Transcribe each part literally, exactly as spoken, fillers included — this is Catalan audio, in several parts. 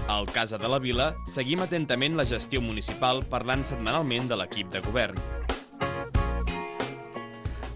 Al Casa de la Vila seguim atentament la gestió municipal parlant setmanalment de l'equip de govern.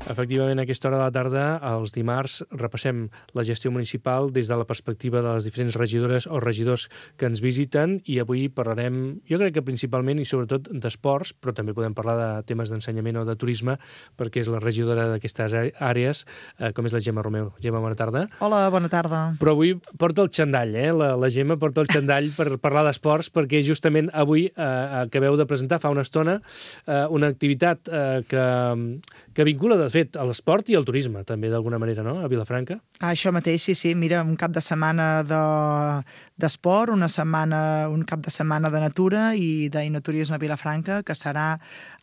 Efectivament, a aquesta hora de la tarda, els dimarts, repassem la gestió municipal des de la perspectiva de les diferents regidores o regidors que ens visiten i avui parlarem, jo crec que principalment i sobretot d'esports, però també podem parlar de temes d'ensenyament o de turisme, perquè és la regidora d'aquestes àrees, eh, com és la Gemma Romeu. Gemma, bona tarda. Hola, bona tarda. Però avui porta el xandall, eh? La, la Gemma porta el xandall per parlar d'esports, perquè justament avui eh, acabeu de presentar fa una estona eh, una activitat eh, que, que vincula, de fet, a l'esport i al turisme, també, d'alguna manera, no?, a Vilafranca. Ah, això mateix, sí, sí. Mira, un cap de setmana de, d'esport, una setmana, un cap de setmana de natura i d'enoturisme a Vilafranca, que serà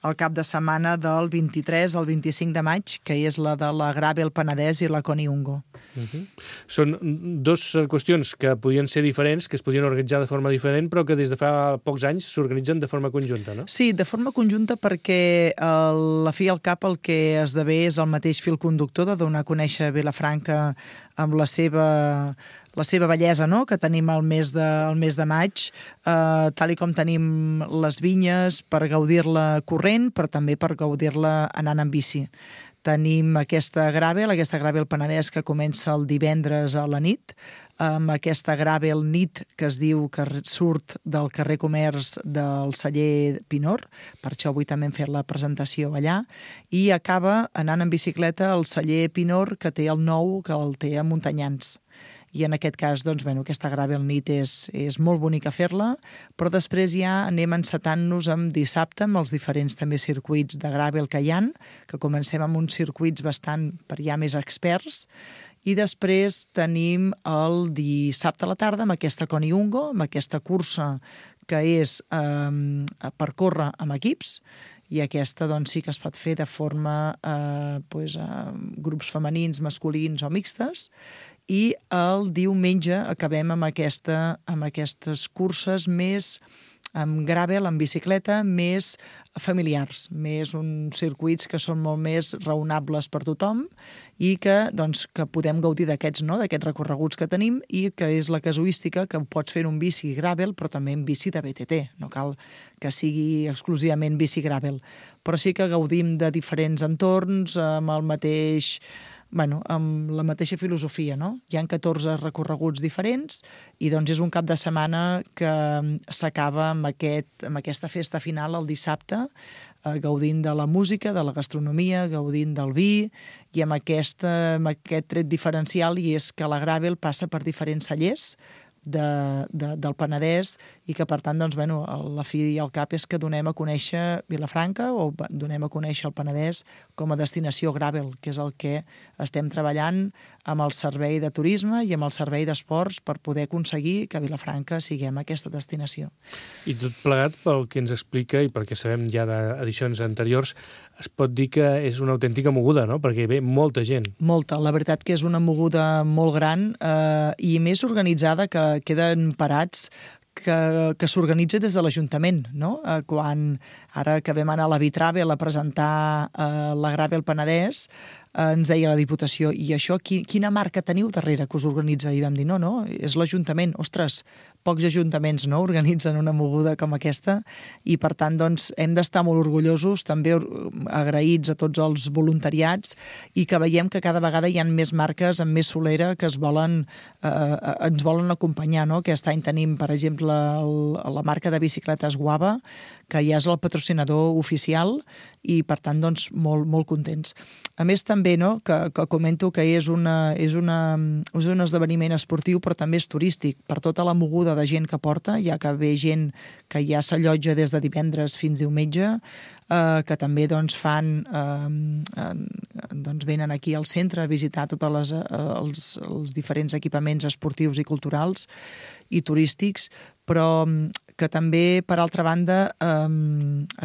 el cap de setmana del vint-i-tres al vint-i-cinc de maig, que és la de la Gravel Penedès i la Coniungo. Uh-huh. Són dues qüestions que podien ser diferents, que es podien organitzar de forma diferent, però que des de fa pocs anys s'organitzen de forma conjunta, no? Sí, de forma conjunta perquè a la fi i al cap el que esdevé és el mateix fil conductor de donar a conèixer Vilafranca amb la seva, la seva bellesa, no?, que tenim al mes de, al mes de maig, eh, tal i com tenim les vinyes per gaudir-la corrent, però també per gaudir-la anant en bici. Tenim aquesta Gravel, aquesta Gravel Penedès que comença el divendres a la nit, amb aquesta Gravel nit que es diu que surt del carrer Comerç del celler Pinor, per això avui també hem fet la presentació allà, i acaba anant en bicicleta al celler Pinor, que té el nou, que el té a Montanyans. I en aquest cas, doncs, bueno, aquesta Gravel nit és, és molt bonica fer-la, però després ja anem encetant-nos amb dissabte amb els diferents també circuits de Gravel que hi ha, que comencem amb uns circuits bastant per ja més experts, i després tenim el dissabte a la tarda amb aquesta Coniungo, amb aquesta cursa que és eh, per córrer amb equips, i aquesta doncs, sí que es pot fer de forma eh, pues, eh, grups femenins, masculins o mixtes, i el diumenge acabem amb, aquesta, amb aquestes curses més amb gravel, amb bicicleta, més familiars, més uns circuits que són molt més raonables per tothom i que, doncs, que podem gaudir d'aquests, no?, d'aquests recorreguts que tenim, i que és la casuística que pots fer un bici gravel però també en bici de B T T, no cal que sigui exclusivament bici gravel, però sí que gaudim de diferents entorns amb el mateix... Bueno, amb la mateixa filosofia, no? Hi ha catorze recorreguts diferents i doncs és un cap de setmana que s'acaba amb, aquest, amb aquesta festa final el dissabte, eh, gaudint de la música, de la gastronomia, gaudint del vi i amb, aquesta, amb aquest tret diferencial, i és que la Gravel passa per diferents cellers de, de, del Penedès i que, per tant, doncs, bueno, la fi i el cap és que donem a conèixer Vilafranca o donem a conèixer el Penedès com a destinació Gravel, que és el que estem treballant amb el servei de turisme i amb el servei d'esports per poder aconseguir que Vilafranca siguem aquesta destinació. I tot plegat, pel que ens explica i perquè sabem ja d'edicions anteriors, es pot dir que és una autèntica moguda, no?, perquè ve molta gent. Molta, la veritat que és una moguda molt gran eh, i més organitzada, que queden parats que, que s'organitza des de l'Ajuntament, no? Eh, quan ara que vam anar a la Vitravel a presentar eh, la Gravel Penedès, eh, ens deia la Diputació, i això, qui, quina marca teniu darrere que us organitza? I vam dir, no, no, és l'Ajuntament. Ostres, pocs ajuntaments, no?, organitzen una moguda com aquesta, i per tant, doncs, hem d'estar molt orgullosos, també agraïts a tots els voluntariats, i que veiem que cada vegada hi ha més marques amb més solera que es volen, eh, ens volen acompanyar, no? Aquest any tenim, per exemple, el, la marca de bicicletes Guava, que ja és el patrocinador oficial, i per tant, doncs, molt, molt contents. A més, també, no?, que, que comento que és, una, és, una, és un esdeveniment esportiu, però també és turístic, per tota la moguda de gent que porta, ja que ve gent que ja s'allotja des de divendres fins diumenge, eh, que també doncs, fan, eh, doncs, venen aquí al centre a visitar tots les, els, els diferents equipaments esportius i culturals i turístics, però que també, per altra banda, eh,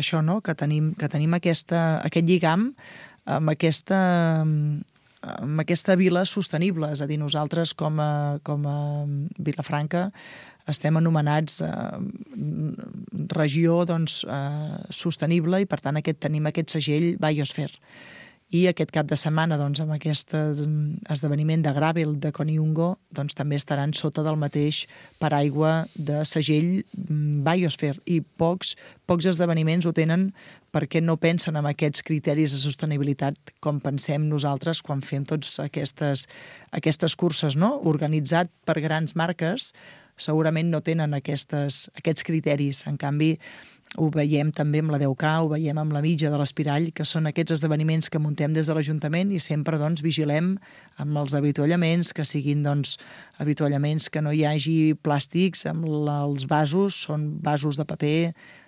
això, no?, que tenim, que tenim aquesta, aquest lligam amb aquesta, amb aquesta vila sostenible. És a dir, nosaltres com a, com a Vilafranca estem anomenats eh, regió doncs, eh, sostenible, i per tant aquest, tenim aquest segell Biosphere. i aquest cap de setmana, doncs, amb aquest esdeveniment de Gravel de Koniungo, doncs, també estaran sota del mateix paraigua de segell Biosphere, i pocs, pocs esdeveniments ho tenen perquè no pensen en aquests criteris de sostenibilitat com pensem nosaltres quan fem totes aquestes, aquestes curses, no? Organitzat per grans marques, segurament no tenen aquestes, aquests criteris. En canvi, ho veiem també amb la deu K, ho veiem amb la mitja de l'Espirall, que són aquests esdeveniments que muntem des de l'Ajuntament i sempre doncs, vigilem amb els avituallaments, que siguin doncs, avituallaments que no hi hagi plàstics, amb la, els vasos, són vasos de paper,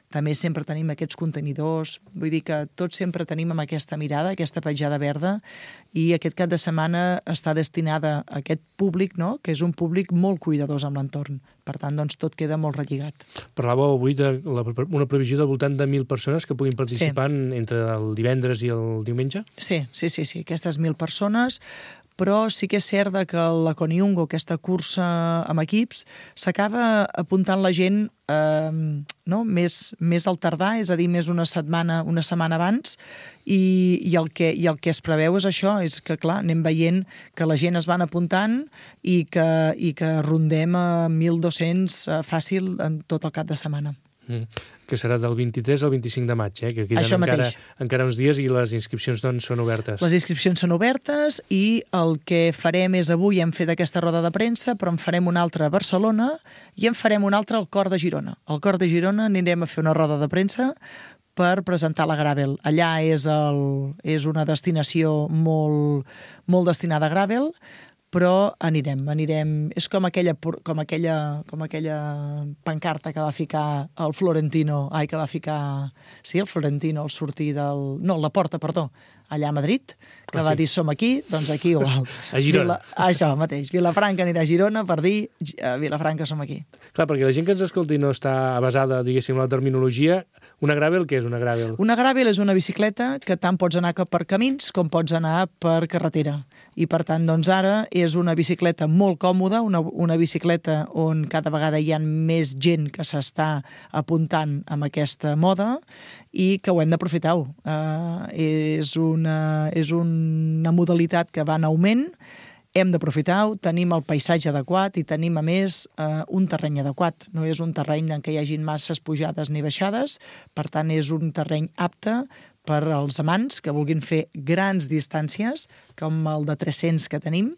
també sempre tenim aquests contenidors, vull dir que tots sempre tenim amb aquesta mirada, aquesta petjada verda, i aquest cap de setmana està destinada a aquest públic, no? Que és un públic molt cuidadós amb l'entorn. Per tant, doncs, tot queda molt relligat. Parlàveu avui de la, una previsió del voltant de mil persones que puguin participar sí. entre el divendres i el diumenge? Sí, sí, sí, sí. Aquestes mil persones, però sí que és cert que la Koniungo, aquesta cursa amb equips, s'acaba apuntant la gent eh, no? més, més al tardar, és a dir, més una setmana, una setmana abans, i, i, el que, i el que es preveu és això, és que, clar, anem veient que la gent es van apuntant i que, i que rondem a mil dos-cents fàcil en tot el cap de setmana. Mm. Que serà del vint-i-tres al vint-i-cinc de maig, eh? Que queden Això encara, mateix. encara uns dies i les inscripcions doncs, són obertes. Les inscripcions són obertes i el que farem és avui hem fet aquesta roda de premsa, però en farem una altra a Barcelona i en farem una altra al Cor de Girona. Al Cor de Girona anirem a fer una roda de premsa per presentar la Gravel. Allà és, el, és una destinació molt, molt destinada a Gravel, però anirem, anirem... És com aquella, com aquella, com aquella pancarta que va ficar el Florentino, ai, que va ficar... Sí, el Florentino al sortir del... No, la Porta, perdó, allà a Madrid, que ah, va sí. dir som aquí, doncs aquí igual. A Girona. Vila, això mateix, Vilafranca anirà a Girona per dir a Vilafranca som aquí. Clar, perquè la gent que ens escolti no està basada, diguéssim, en la terminologia. Una Gravel, què és una Gravel? Una Gravel és una bicicleta que tant pots anar per camins com pots anar per carretera. I per tant, doncs ara és una bicicleta molt còmoda, una, una bicicleta on cada vegada hi ha més gent que s'està apuntant amb aquesta moda i que ho hem d'aprofitar. Uh, és, una, és una modalitat que va en augment, hem d'aprofitar-ho, tenim el paisatge adequat i tenim, a més, eh, un terreny adequat. No és un terreny en què hi hagin masses pujades ni baixades, per tant, és un terreny apte per als amants que vulguin fer grans distàncies, com el de tres-cents que tenim,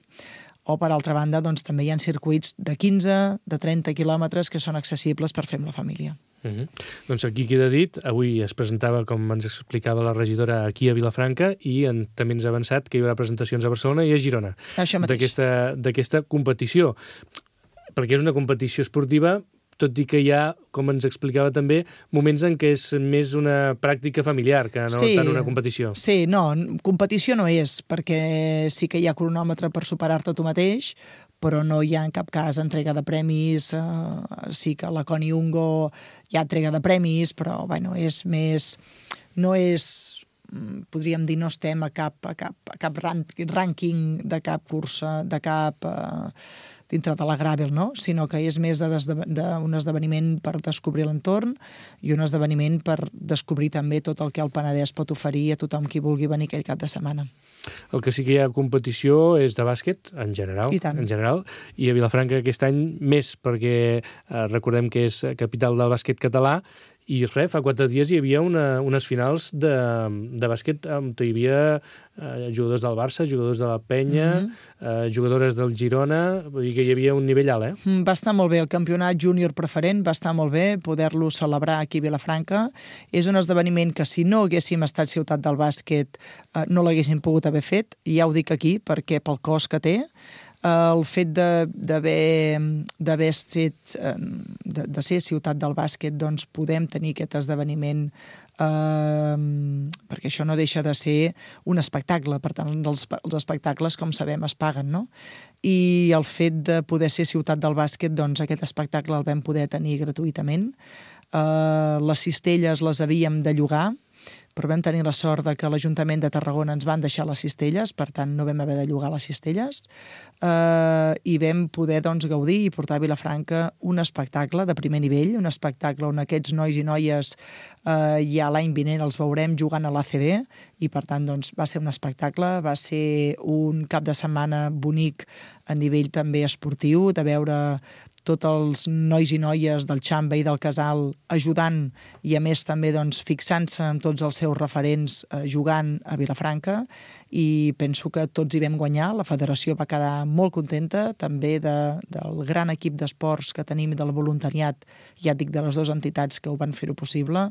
o, per altra banda, doncs, també hi ha circuits de quinze, de trenta quilòmetres que són accessibles per fer amb la família. Uh-huh. Doncs aquí queda dit, avui es presentava, com ens explicava la regidora, aquí a Vilafranca, i en, també ens ha avançat que hi haurà presentacions a Barcelona i a Girona d'aquesta competició, perquè és una competició esportiva, tot i que hi ha, com ens explicava també, moments en què és més una pràctica familiar que no sí, tant una competició. Sí, no, competició no és, perquè sí que hi ha cronòmetre per superar-te tu mateix, però no hi ha en cap cas entrega de premis, eh, sí que a la Koniungo hi ha entrega de premis, però bueno, és més... no és... podríem dir, no estem a cap, a cap, a cap rànquing de cap cursa, de cap... Eh, dintre de la Gravel, no? Sinó que és més d'un esdeveniment per descobrir l'entorn i un esdeveniment per descobrir també tot el que el Penedès pot oferir a tothom qui vulgui venir aquell cap de setmana. El que sí que hi ha competició és de bàsquet, en general, I tant. en general, i a Vilafranca aquest any més, perquè eh, recordem que és capital del bàsquet català, i res, fa quatre dies hi havia una, unes finals de, de bàsquet on hi havia eh, jugadors del Barça, jugadors de la Penya, mm-hmm. eh, jugadores del Girona, vull dir que hi havia un nivell alt, eh? Va estar molt bé, el campionat júnior preferent va estar molt bé, poder-lo celebrar aquí a Vilafranca. És un esdeveniment que si no haguéssim estat ciutat del bàsquet eh, no l'haguéssim pogut haver fet, i ja ho dic aquí perquè pel cost que té, el fet d'haver d'haver estat de, de ser ciutat del bàsquet, doncs podem tenir aquest esdeveniment eh, perquè això no deixa de ser un espectacle, per tant els, els espectacles, com sabem, es paguen, no? I el fet de poder ser ciutat del bàsquet, doncs aquest espectacle el vam poder tenir gratuïtament. Eh, les cistelles les havíem de llogar, però vam tenir la sort de que l'Ajuntament de Tarragona ens van deixar les cistelles, per tant no vam haver de llogar les cistelles, eh, i vam poder doncs, gaudir i portar a Vilafranca un espectacle de primer nivell, un espectacle on aquests nois i noies eh, ja l'any vinent els veurem jugant a l'A C B, i per tant doncs, va ser un espectacle, va ser un cap de setmana bonic a nivell també esportiu, de veure tots els nois i noies del Xamba i del Casal ajudant i a més també doncs, fixant-se en tots els seus referents eh, jugant a Vilafranca, i penso que tots hi vam guanyar. La federació va quedar molt contenta també de, del gran equip d'esports que tenim, del voluntariat, ja et dic, de les dues entitats que ho van fer-ho possible,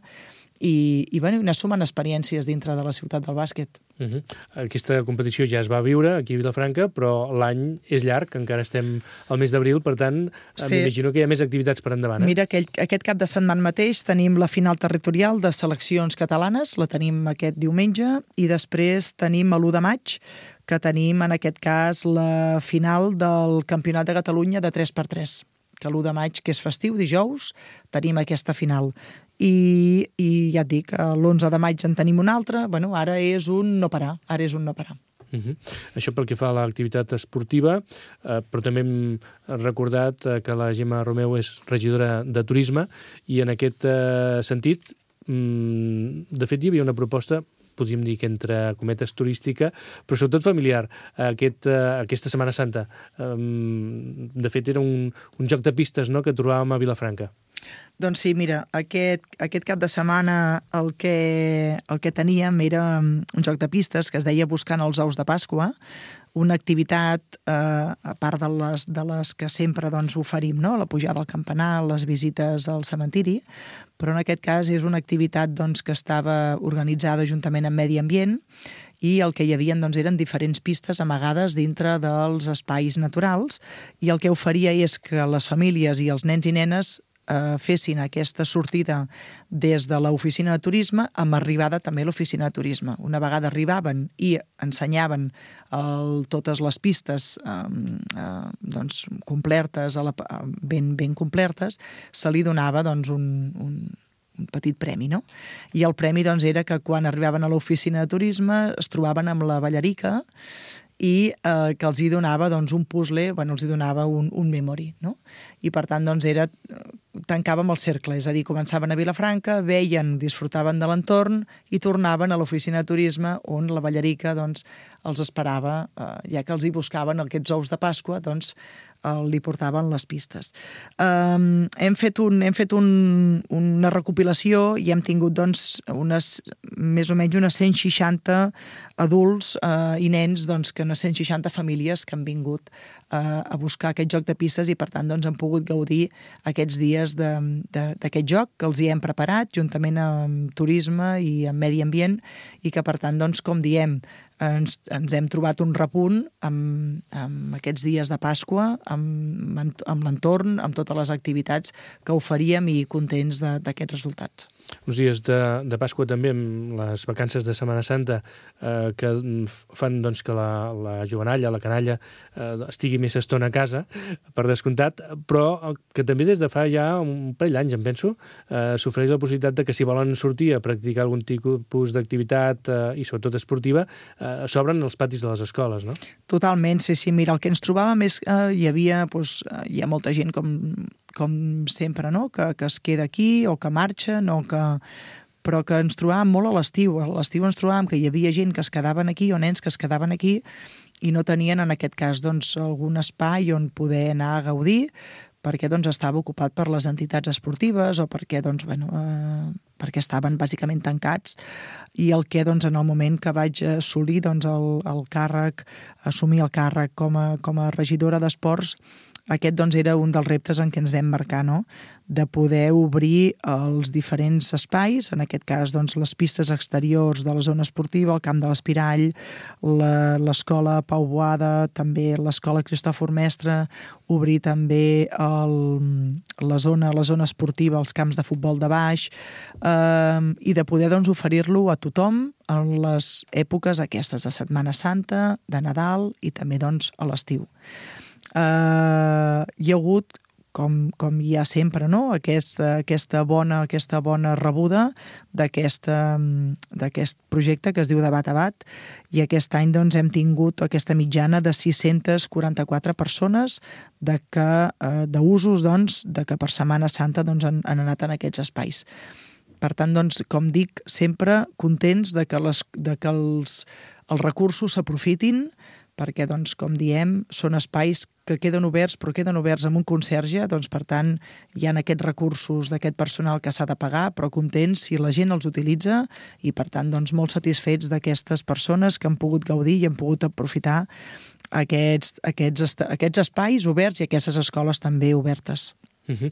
i, i bueno, ne sumen experiències dintre de la ciutat del bàsquet. Uh -huh. Aquesta competició ja es va viure aquí a Vilafranca, però l'any és llarg, encara estem al mes d'abril, per tant, sí. M'imagino que hi ha més activitats per endavant. Eh? Mira, aquell, aquest cap de setmana mateix tenim la final territorial de seleccions catalanes, la tenim aquest diumenge, i després tenim a l'u de maig, que tenim en aquest cas la final del Campionat de Catalunya de tres per tres, que l'u de maig, que és festiu, dijous, tenim aquesta final. I, i ja et dic, l'onze de maig en tenim un altre, bueno, ara és un no parar, ara és un no parar. Uh -huh. Això pel que fa a l'activitat esportiva, eh, però també hem recordat eh, que la Gemma Romeu és regidora de Turisme, i en aquest eh, sentit, mm, de fet, hi havia una proposta, podríem dir que entre cometes turística, però sobretot familiar, aquest, uh, aquesta Setmana Santa. Um, de fet, era un, un joc de pistes, no?, que trobàvem a Vilafranca. Doncs sí, mira, aquest, aquest cap de setmana el que, el que teníem era un joc de pistes que es deia Buscant els ous de Pasqua, una activitat, eh, a part de les, de les que sempre doncs, oferim, no? La pujada al campanar, les visites al cementiri, però en aquest cas és una activitat doncs, que estava organitzada juntament amb Medi Ambient, i el que hi havia doncs, eren diferents pistes amagades dintre dels espais naturals, i el que oferia és que les famílies i els nens i nenes eh, fessin aquesta sortida des de l'oficina de turisme amb arribada també a l'oficina de turisme. Una vegada arribaven i ensenyaven el, totes les pistes eh, eh, doncs, complertes, a la, ben, ben complertes, se li donava doncs, un, un un petit premi, no? I el premi doncs, era que quan arribaven a l'oficina de turisme es trobaven amb la ballarica i eh, que els hi donava doncs, un puzzle, bueno, els hi donava un, un memory, no? I per tant doncs, era, tancàvem el cercle, és a dir, començaven a Vilafranca, veien, disfrutaven de l'entorn i tornaven a l'oficina de turisme on la ballarica doncs, els esperava, eh, ja que els hi buscaven aquests ous de Pasqua, doncs li portaven les pistes. Um, hem fet, un, hem fet un, una recopilació i hem tingut doncs, unes, més o menys unes cent seixanta adults uh, i nens, doncs, que unes cent seixanta famílies que han vingut uh, a buscar aquest joc de pistes, i per tant doncs, han pogut gaudir aquests dies d'aquest joc que els hi hem preparat juntament amb Turisme i amb Medi Ambient, i que per tant, doncs, com diem, ens, ens hem trobat un repunt amb, amb aquests dies de Pasqua, amb, amb l'entorn, amb totes les activitats que oferíem, i contents d'aquests resultats. Uns dies de, de Pasqua també, amb les vacances de Setmana Santa, eh, que fan doncs, que la, la jovenalla, la canalla, eh, estigui més estona a casa, per descomptat, però que també des de fa ja un parell d'anys, em penso, eh, s'ofereix la possibilitat de que si volen sortir a practicar algun tipus d'activitat, eh, i sobretot esportiva, eh, s'obren els patis de les escoles, no? Totalment, sí, sí. Mira, el que ens trobàvem és que eh, hi havia, doncs, hi ha molta gent com... com sempre, no? que, que es queda aquí o que marxa, no? que... però que ens trobàvem molt a l'estiu. A l'estiu ens trobàvem que hi havia gent que es quedaven aquí, o nens que es quedaven aquí, i no tenien en aquest cas doncs, algun espai on poder anar a gaudir, perquè doncs, estava ocupat per les entitats esportives o perquè, doncs, bueno, eh, perquè estaven bàsicament tancats. I el que doncs, en el moment que vaig assolir doncs, el, el càrrec, assumir el càrrec com a, com a regidora d'esports, aquest doncs, era un dels reptes en què ens vam marcar, no? De poder obrir els diferents espais, en aquest cas doncs, les pistes exteriors de la zona esportiva, el camp de l'Espirall, l'escola Pau Boada, també l'escola Cristòfor Mestre, obrir també el, la, zona, la zona esportiva, els camps de futbol de baix, eh, i de poder doncs, oferir-lo a tothom en les èpoques aquestes de Setmana Santa, de Nadal i també doncs, a l'estiu. Uh, hi ha hagut, com, com hi ha sempre, no? aquesta, aquesta, bona, aquesta bona rebuda d'aquest projecte que es diu Debat a Bat, i aquest any doncs, hem tingut aquesta mitjana de sis-centes quaranta-quatre persones de que, eh, d'usos doncs, de que per Setmana Santa doncs, han, han anat en aquests espais. Per tant, doncs, com dic, sempre contents de que, les, de que els, els recursos s'aprofitin, perquè, doncs, com diem, són espais que queden oberts, però queden oberts amb un conserge, doncs, per tant, hi ha aquests recursos d'aquest personal que s'ha de pagar, però contents si la gent els utilitza i, per tant, doncs, molt satisfets d'aquestes persones que han pogut gaudir i han pogut aprofitar aquests, aquests, aquests espais oberts i aquestes escoles també obertes. Uh -huh.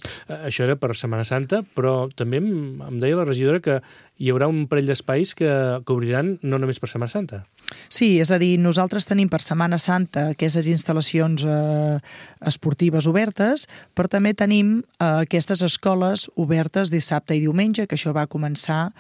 Això era per Setmana Santa, però també em, em deia la regidora que hi haurà un parell d'espais que, que obriran no només per Setmana Santa. Sí, és a dir, nosaltres tenim per Setmana Santa aquestes instal·lacions eh, esportives obertes, però també tenim eh, aquestes escoles obertes dissabte i diumenge, que això va començar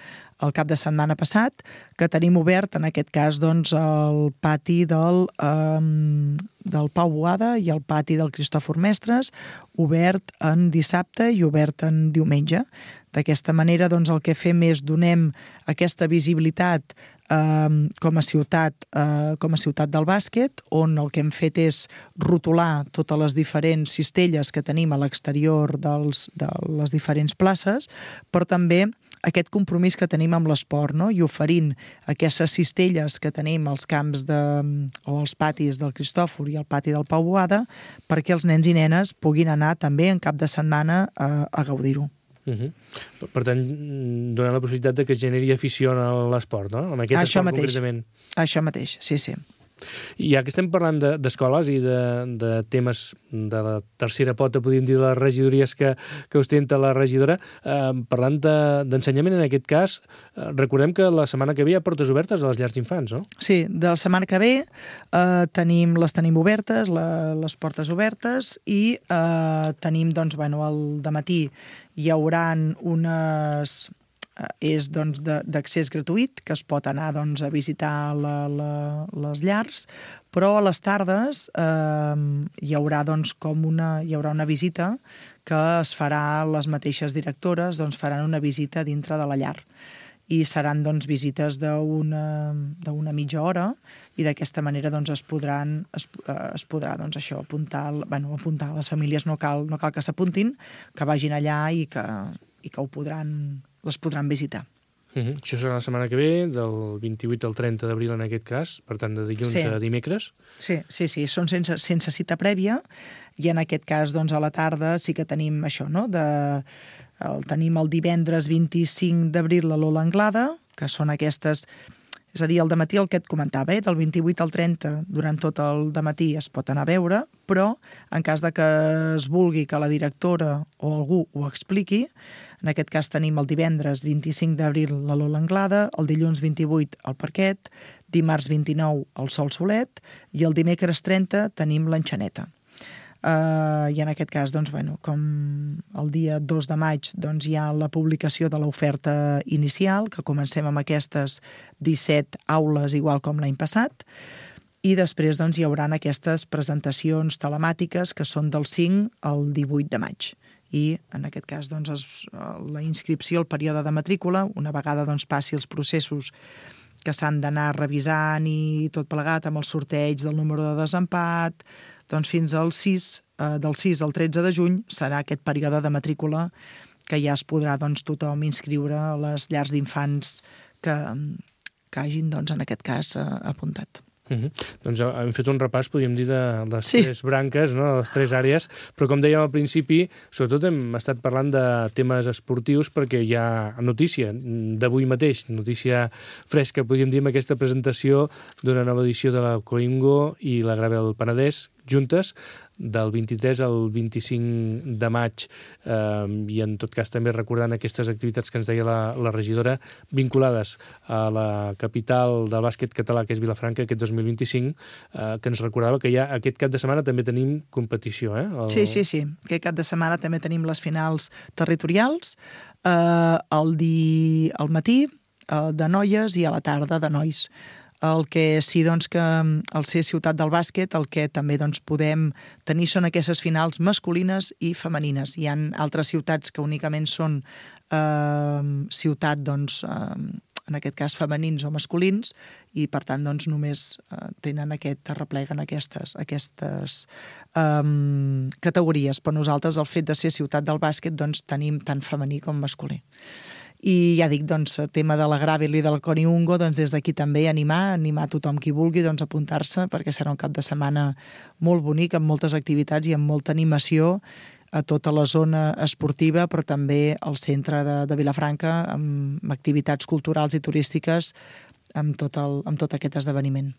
el cap de setmana passat, que tenim obert, en aquest cas, doncs, el pati del, eh, del Pau Boada i el pati del Cristòfor Mestres, obert en dissabte i obert en diumenge. D'aquesta manera, doncs, el que fem és donem aquesta visibilitat eh, com a ciutat, eh, com a ciutat del bàsquet, on el que hem fet és rotular totes les diferents cistelles que tenim a l'exterior dels, de les diferents places, però també aquest compromís que tenim amb l'esport, no? I oferint aquestes cistelles que tenim als camps de, o als patis del Cristòfor i al pati del Pau Boada, perquè els nens i nenes puguin anar també en cap de setmana a, a gaudir-ho. Uh -huh. per, per tant, donar la possibilitat de que es generi afició a l'esport, no? En aquest Això esport mateix. concretament. Això mateix, sí, sí. I ja que estem parlant d'escoles de, i de, de temes de la tercera pota, podríem dir, de les regidories que, que ostenta la regidora, eh, parlant d'ensenyament, de, en aquest cas, eh, recordem que la setmana que ve hi ha portes obertes a les llars d'infants, no? Sí, de la setmana que ve eh, tenim, les tenim obertes, la, les portes obertes, i eh, tenim, doncs, bueno, el dematí hi haurà unes... és doncs, d'accés gratuït, que es pot anar doncs, a visitar la, la, les llars, però a les tardes eh, hi haurà doncs, com una, hi haurà una visita que es farà, les mateixes directores doncs, faran una visita dintre de la llar. I seran doncs, visites d'una d'una mitja hora, i d'aquesta manera doncs, es podran es, es podrà doncs, això, apuntar, bueno, apuntar les famílies, no cal, no cal que s'apuntin, que vagin allà i que, i que ho podran les podran visitar. Uh -huh. Això serà la setmana que ve, del vint-i-vuit al trenta d'abril en aquest cas, per tant, de dilluns sí. a dimecres. Sí, sí, sí, són sense, sense cita prèvia, i en aquest cas, doncs, a la tarda sí que tenim això, no?, de... El, tenim el divendres vint-i-cinc d'abril a l'Ola Anglada, que són aquestes... És a dir, el dematí el que et comentava, eh? Del vint-i-vuit al trenta, durant tot el dematí es pot anar a veure, però en cas de que es vulgui que la directora o algú ho expliqui, en aquest cas tenim el divendres vint-i-cinc d'abril la Lola Anglada, el dilluns vint-i-vuit al Parquet, dimarts vint-i-nou al Sol Solet, i el dimecres trenta tenim l'Enxaneta. Uh, I en aquest cas, doncs, bueno, com el dia dos de maig doncs, hi ha la publicació de l'oferta inicial, que comencem amb aquestes disset aules, igual com l'any passat, i després doncs, hi haurà aquestes presentacions telemàtiques que són del cinc al divuit de maig. I en aquest cas doncs, es, la inscripció, el període de matrícula, una vegada doncs, passi els processos que s'han d'anar revisant i tot plegat amb el sorteig del número de desempat, doncs fins al sis, eh, del sis al tretze de juny serà aquest període de matrícula que ja es podrà doncs, tothom inscriure a les llars d'infants que, que hagin, doncs, en aquest cas, eh, apuntat. Uh -huh. Doncs hem fet un repàs, podríem dir, de les sí. tres branques, no? De les tres àrees, però com dèiem al principi, sobretot hem estat parlant de temes esportius perquè hi ha notícia d'avui mateix, notícia fresca, podríem dir, amb aquesta presentació d'una nova edició de la Coingo i la Gravel Penedès, juntes, del vint-i-tres al vint-i-cinc de maig, eh, i en tot cas també recordant aquestes activitats que ens deia la, la regidora, vinculades a la capital del bàsquet català, que és Vilafranca, aquest dos mil vint-i-cinc, eh, que ens recordava que ja aquest cap de setmana també tenim competició, eh? El... Sí, sí, sí. Aquest cap de setmana també tenim les finals territorials, eh, el, di... el matí eh, de noies i a la tarda de nois. El que sí doncs, que al ser ciutat del bàsquet, el que també doncs, podem tenir són aquestes finals masculines i femenines. Hi ha altres ciutats que únicament són eh, ciutat, doncs, eh, en aquest cas femenins o masculins, i per tant doncs, només eh, tenen aquest, arrepleguen aquestes, aquestes um, categories. Però nosaltres, el fet de ser ciutat del bàsquet, doncs, tenim tant femení com masculí. I ja dic, doncs, el tema de la Gravel i del Coniungo, doncs des d'aquí també animar, animar tothom qui vulgui doncs, apuntar-se, perquè serà un cap de setmana molt bonic, amb moltes activitats i amb molta animació a tota la zona esportiva, però també al centre de, de Vilafranca, amb activitats culturals i turístiques, amb tot, el, amb tot aquest esdeveniment.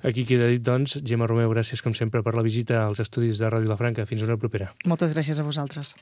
Aquí queda dit, doncs, Gemma Romeu, gràcies com sempre per la visita als estudis de Ràdio Vilafranca. Fins una propera. Moltes gràcies a vosaltres.